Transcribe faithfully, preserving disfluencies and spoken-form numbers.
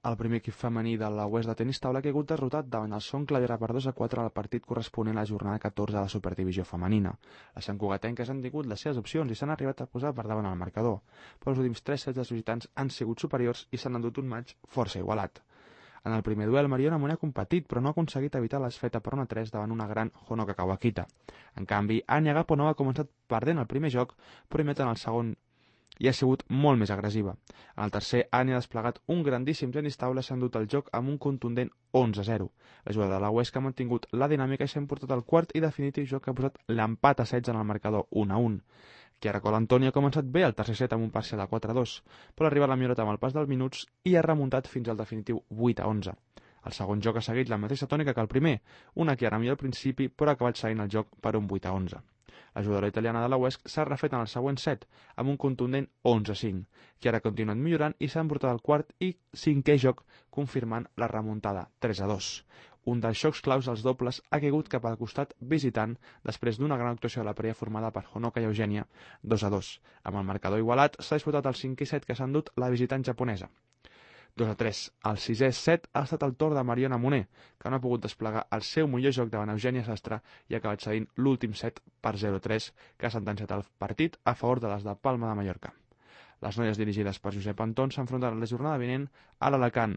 El primer equip femení de la Oest de tenis taula que ha hagut derrotat davant el Son Clavera per dos a quatre al partit corresponent a la jornada catorze de la Superdivisió femenina. Les santcugatenques han tingut les seves opcions i s'han arribat a posar per davant el marcador, però els últims tres sets dels visitants han sigut superiors i s'han endut un maig força igualat. En el primer duel, Mariona Moner ha competit, però no ha aconseguit evitar l'esfeta per una tres davant una gran Honoka Kawakita. En canvi, Anya Gaponova ha començat perdent el primer joc, però imet en el segon i ha sigut molt més agressiva. En el tercer, Anya ha desplegat un grandíssim tenis taula i s'ha endut el joc amb un contundent onze a zero. La jugada de la Oest ha mantingut la dinàmica i s'ha emportat el quart i definitiu joc que ha posat l'empat a setze en el marcador un a un. Chiara Colantoni ha començat bé el tercer set amb un parcial de quatre a dos, però ha arribat la millorat amb el pas dels minuts i ha remuntat fins al definitiu vuit a onze. El segon joc ha seguit la mateixa tònica que el primer, una Chiara millor al principi, però ha acabat seguint el joc per un vuit a onze. La jugadora italiana de la Oest s'ha refet en el següent set, amb un contundent onze a cinc. Chiara ha continuat millorant i s'ha emportat el quart i cinquè joc, confirmant la remuntada tres a dos. Un dels xocs claus dels dobles ha caigut cap al costat visitant després d'una gran actuació de la parella formada per Honoka i Eugènia dos a dos. Amb el marcador igualat s'ha disputat el cinquè set que s'ha endut la visitant japonesa. dos a tres. El sisè set ha estat el torn de Mariona Moner, que no ha pogut desplegar el seu millor joc davant Eugènia Sastre i ha acabat cedint l'últim set per zero a tres, que ha sentenciat el partit a favor de les de Palma de Mallorca. Les noies dirigides per Josep Anton s'enfrontaran la jornada vinent a l'Alacant.